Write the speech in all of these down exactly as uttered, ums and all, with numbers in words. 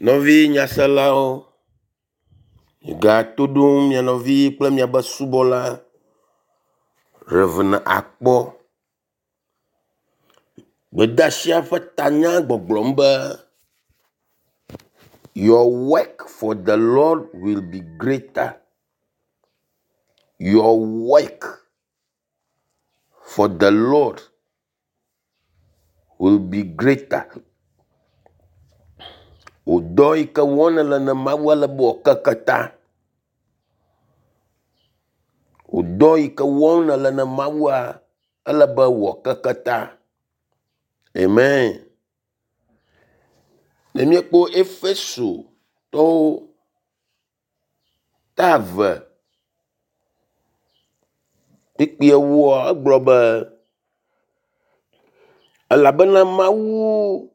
Nɔvi nyaselawo, migato ɖom mia nɔvi kple miabe subɔla Rev. Akpɔ. Gbedeasia ƒe tanya gbɔgblɔm be your work for the lord will be greater. Your work for the lord will be greater. Wò dɔ yi ke wɔm nèle na Mawua ele be wòakeke ta. Wò dɔ yi ke wɔm nèle na Mawua ele be wòakeke ta. Amen. Ne míekpɔ Efesotɔwo ta eve kpukpui ewoa egblɔ be elabena Mawu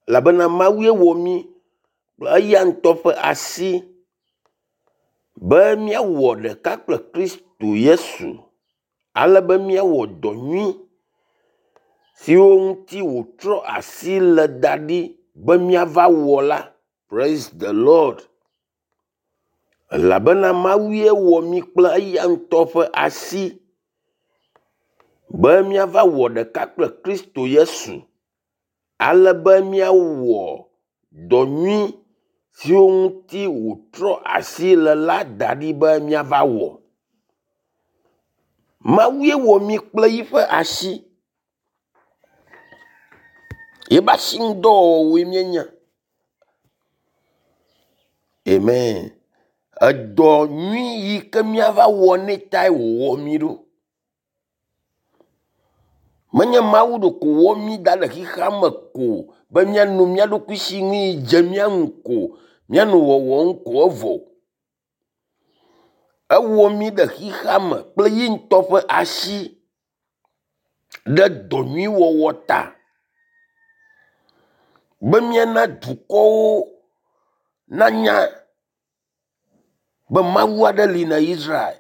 elabena Mawue wɔ mí kple eya ŋutɔ ƒe asi be míawɔ ɖeka kple Kristo Yesu ale be míawɔ dɔ nyui siwo ŋuti wòtrɔ asi le da ɖi be míava wɔ la. Praise the Lord. Elabena Mawue wɔ mí kple eya ŋutɔ ƒe asi be míava wɔ ɖeka kple Kristo Yesu ale be míawɔ dɔ nyui siwo ŋuti wòtrɔ asi le la da ɖi be míava wɔ. Mawue wɔ mí kple yiƒe asi. Yebe asinudɔwɔwɔwoe míenye. Amen. Edɔ nyui yi ke míava wɔ nɛ tae wòwɔ mí ɖo. Menye Mawu ɖeko wɔ mí da ɖe xexea me ko be míanɔ mía ɖokui si nu yi dze mía ŋu ko, míanɔ wɔwɔm ko evɔ o. Ewɔ mí ɖe xexea me kple ye ŋutɔ ƒe asi ɖe dɔ nyui wɔwɔ ta be míana dukɔwo nanya be Mawu aɖe li na Israel.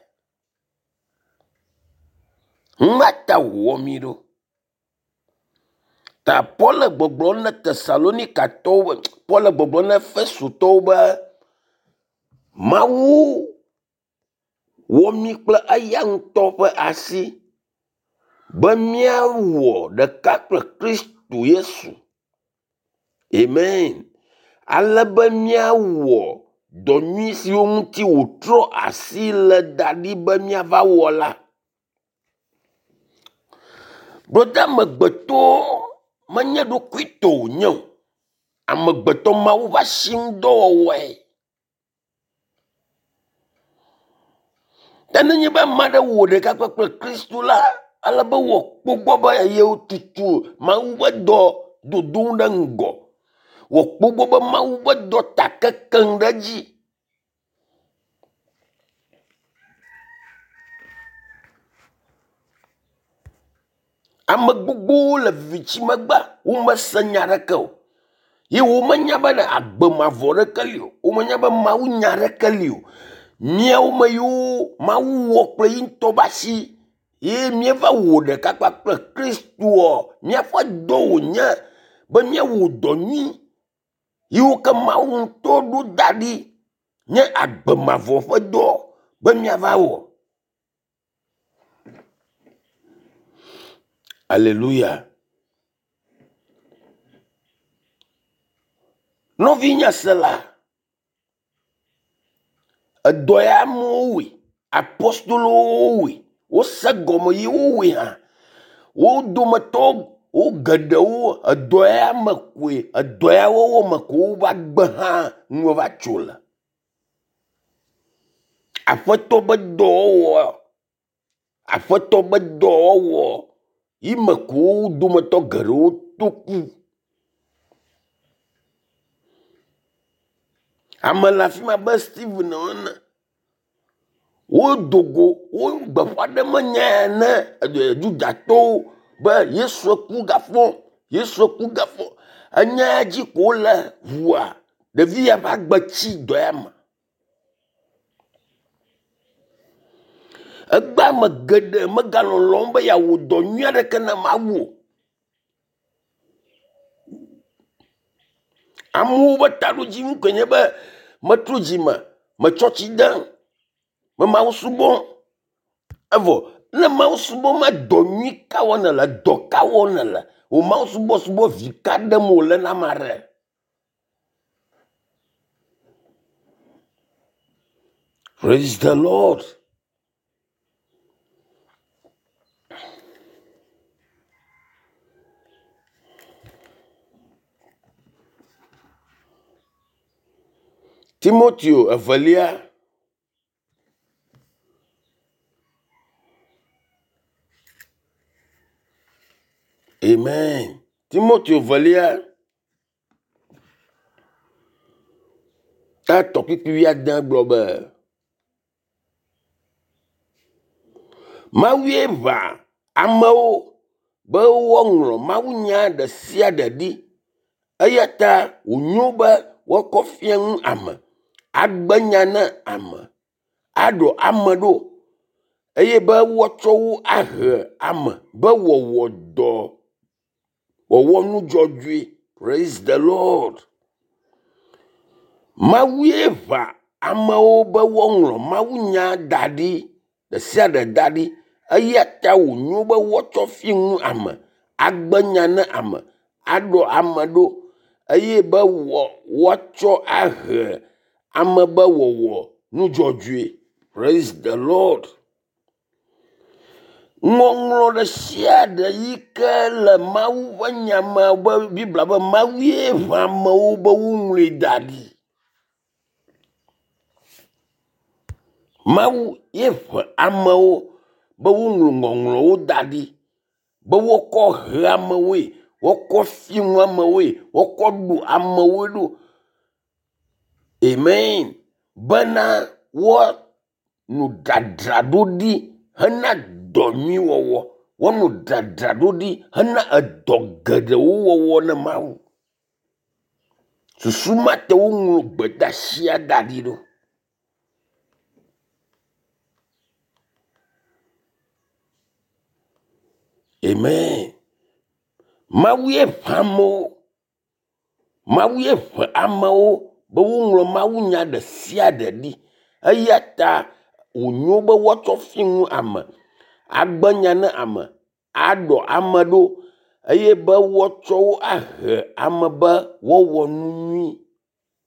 Nua ta wòwɔ mí ɖo. Ta Paul le gbɔgblɔm na Tesalonikatɔwo be Paul le gbɔgblɔm na Efesotɔwo be Mawu wɔ mí kple eya ŋutɔ ƒe asi be míawɔ ɖeka kple Kristo Yesu. Amen. Ale be míawɔ dɔ nyui siwo ŋuti wòtrɔ asi le da ɖi be míava wɔ la. Ɖo amegbetɔ menye ɖokuitɔ wònye o. Amegbetɔ Mawu ƒe asinudɔwɔwɔe. Ke nenye be ame aɖe wɔ ɖeka kple Kristo la, ele be wòakpɔ gbɔ be yewotutu Mawu ƒe dɔ dodom ɖe ŋgɔ. Wòakpɔ gbɔ be Mawu ƒe dɔ ta kekem ɖe edzi. Ame gbogbowo le viviti megbe womese nya aɖeke o ye womenya be agbe mavɔ ɖeke li o. Womenya be Mawu nya aɖeke li o. Míawo me yiwo Mawu wɔ kple yi ŋutɔ ƒe asi ye míeva wɔ ɖeka kpakple Kristoa, míaƒe dɔ wònye be míawɔ dɔ nyui yiwo ke Mawu ŋutɔ ɖo da ɖi nye agbe mavɔ ƒe dɔ be míava wɔ. Aleluya. Nɔvi nyasela, edɔ ya amewo wɔe, apostolowo wɔe, wose gɔme ye wowɔe hã. Wo dometɔ wo geɖewo edɔ ya me koe edɔ ya wɔwɔ me ko woƒe agbe hã nu va tso le. Aƒetɔ be dɔwɔwɔ, aƒetɔ be dɔwɔwɔ yi me ko wo dometɔ geɖewo to ku. Ame le afi ma be Steven ene. Wodo go wo gbeƒã ɖem nya ya ne Yudatɔwo be Yesu ku gafɔ, Yesu ku gafɔ. Enya ya dzi ko wole ʋua ɖevi ya ƒe agbe tsi dɔ ya me. Egbe ame geɖe megalɔlɔm be yeawɔ dɔ nyui aɖeke na Mawu o. Amewo ƒe taɖodzinu koe nye be metrɔ dzime, metsɔ tsi dem, me Mawu subɔm. Evɔ ne Mawu subɔm ma dɔ nyui ka wɔm nèle, dɔ ka wɔm nèle? Wò Mawu subɔsubɔ vi ka ɖem wòle na ame aɖe? Praise the Lord. Timoteo evelia Amen. Timoteo evelia ta etɔ̃ kpukpui wuiade gblɔ be Mawue ʋã amewo be woaŋlɔ mawunya ɖe sia ɖe ɖi eya ta wònyo be woakɔ fia nu ame, agbe nya na ame, aɖɔ ame ɖo eye be woatsɔ wo ahe ame be wɔwɔ dɔ wɔwɔ nu dzɔdzɔe. Praise the Lord. Mawue ʋã amewo be woaŋlɔ mawunya da ɖi ɖe sia ɖe da ɖi eya ta wònyo be woatsɔ fia nu ame, agbe nya na ame, aɖɔ ame ɖo eye be woatsɔ ahe ame be wɔwɔ nu dzɔdzɔe. Praise the Lord. Ŋɔŋlɔ ɖe sia ɖe yi ke le Mawu ƒe nya me be Biblia be Mawue ʋã amewo be woŋlɔe da ɖi. Mawu ye ʋã amewo be woŋlɔ ŋɔŋlɔwo da ɖi be wokɔ he amewoe, wokɔ fia nu amewoe, wokɔ ɖo amewoe ɖo. Amen. Bena woanɔ dzadzraɖo ɖi hena dɔ nyui wɔwɔ. Woanɔ dzadzraɖo ɖi hena edɔ geɖewo wɔwɔ ne Mawu. Susu ma te woŋlɔ gbedeasia da ɖi ɖo. Amen. Mawue ʋã amewo. Mawue ʋã amewo be woŋlɔ mawunya ɖe sia ɖe ɖi. Eya ta wònyo be woatsɔ fia nu ame, agbe nya na ame, aɖɔ ame ɖo eye be woatsɔ wo ahe ame be woawɔ nu nyui,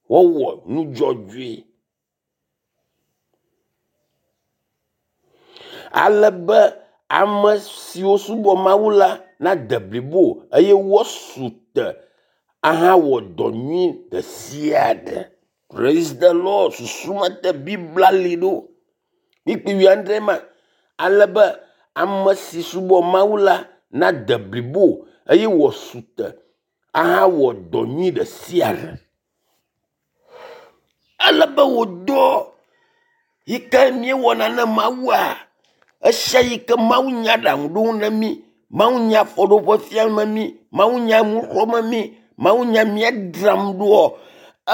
woawɔ nu dzɔdzɔe. Ale be ame siwo subɔ Mawu la nade blibo eye woasu te ahawɔ dɔ nyui ɖe sia ɖe. Praise the Lord. Susu ma te Biblia li ɖo. Kpukpui wuiadre ma. Ale be ame si subɔ Mawu la nade blibo eye wòasu te ahawɔ dɔ nyui ɖe sia ɖe. Ele be wò dɔ yi ke míewɔna na Mawua, esia yi ke Mawu nya aɖaŋu ɖom na mí, Mawu nya afɔɖoƒe fiam mí, Mawu nya nu xlɔ̃m mí, Mawu nya míadzram ɖoa,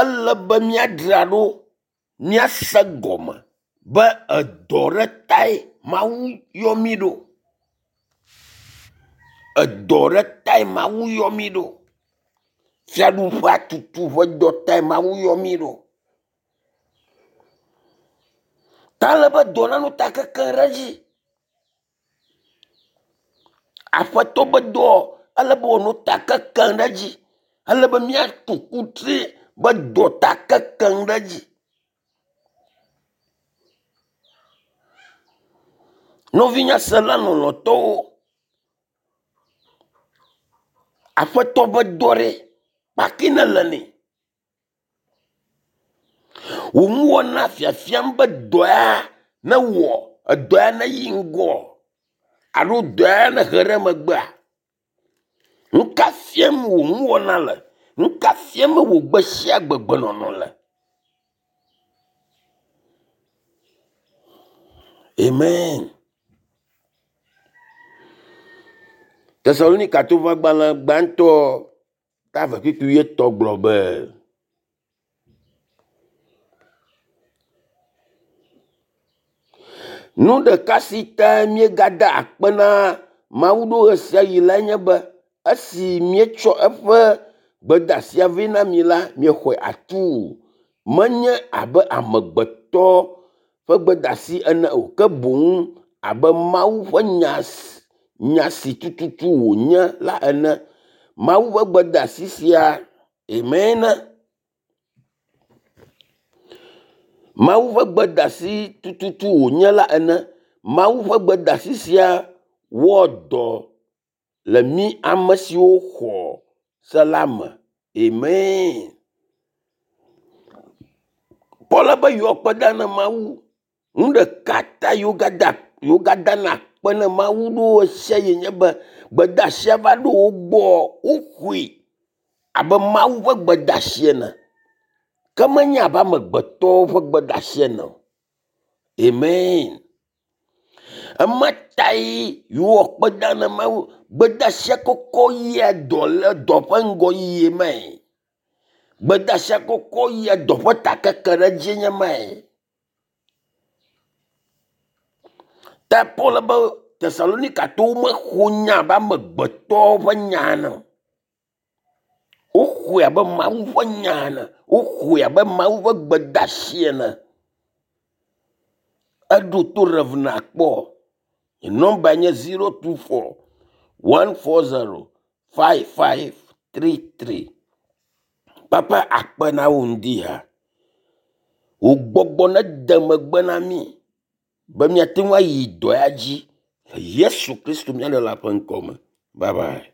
ele be míadzra ɖo, míase gɔme be edɔ ɖe tae Mawu yɔ mí ɖo. Edɔ ɖe tae Mawu yɔ mí ɖo. Fiaɖuƒea tutu ƒe dɔ tae Mawu yɔ mí ɖo. Ta ele be dɔ nanɔ ta kekem ɖe edzi. Aƒetɔ be dɔ ele be wòanɔ ta kekem ɖe edzi. Ele be míatu kutri be dɔ ta kekem ɖe edzi. Nɔvinyasela lɔlɔ̃tɔwo, aƒetɔ ƒe dɔ ɖe kpaki nele nɛ. Wò nuwɔna fiafiam be dɔ ya newɔ, edɔ ya neyi ŋgɔ alo dɔ ya nehe ɖe megbea? Nu ka fiam wò nuwɔna le? Nu ka fiam wò gbe sia gbe gbenɔnɔ le? Amen. Tesalonikatɔwo ƒe agbalẽ gbãtɔ ta eve kpukpui wuietɔ̃ gblɔ be nu ɖeka si ta míegada akpe na Mawu ɖo ɣe sia ɣi lae nye be esi míetsɔ eƒe gbedasia vɛ na mi la, miexɔe atuu. Menye abe amegbetɔ ƒe gbedasi ene o, ke boŋ abe Mawu ƒe nya nya si tututu wònye la ene. Mawu ƒe gbedasi sia, amen. Mawu ƒe gbedasi tututu wònye la ene. Mawu ƒe gbedasi sia wɔ dɔ le mí ame siwo xɔ se la me. Amen. Paul be yewoa kpe da na Mawu. Nu ɖeka ta yewo gada yewo gadana akpe na Mawu ɖo ɣe sia ɣi nye be gbedasia va ɖo wo gbɔ woxɔe abe Mawu ƒe gbedasi ene. Ke menye abe amegbetɔwo ƒe gbedasi ene o. Amen. Ema tae yewoa kpe da na Mawu. Gbedasia kɔkɔ yia dɔ le dɔ ƒe ŋgɔyiyi mae. Gbedasia kɔkɔ yia dɔ ƒe takeke ɖe dzi nye mae. Ta Paul be Tesalonikatɔwo mexɔ nya abe amegbetɔwo ƒe nya ene o. Woxɔe abe Mawu ƒe nya ene. Woxɔe abe Mawu ƒe gbedasi ene. Eɖo to Rev kpɔ. Nye nɔmba nye zero two four one four zero five five three three. Papa akpe na wo ŋdi ya. Wò gbɔgbɔ nede megbe na mí be míate ŋu ayi dɔ ya dzi le Yesu Kristo mía Ɖela ƒe ŋkɔ me. Bye bye.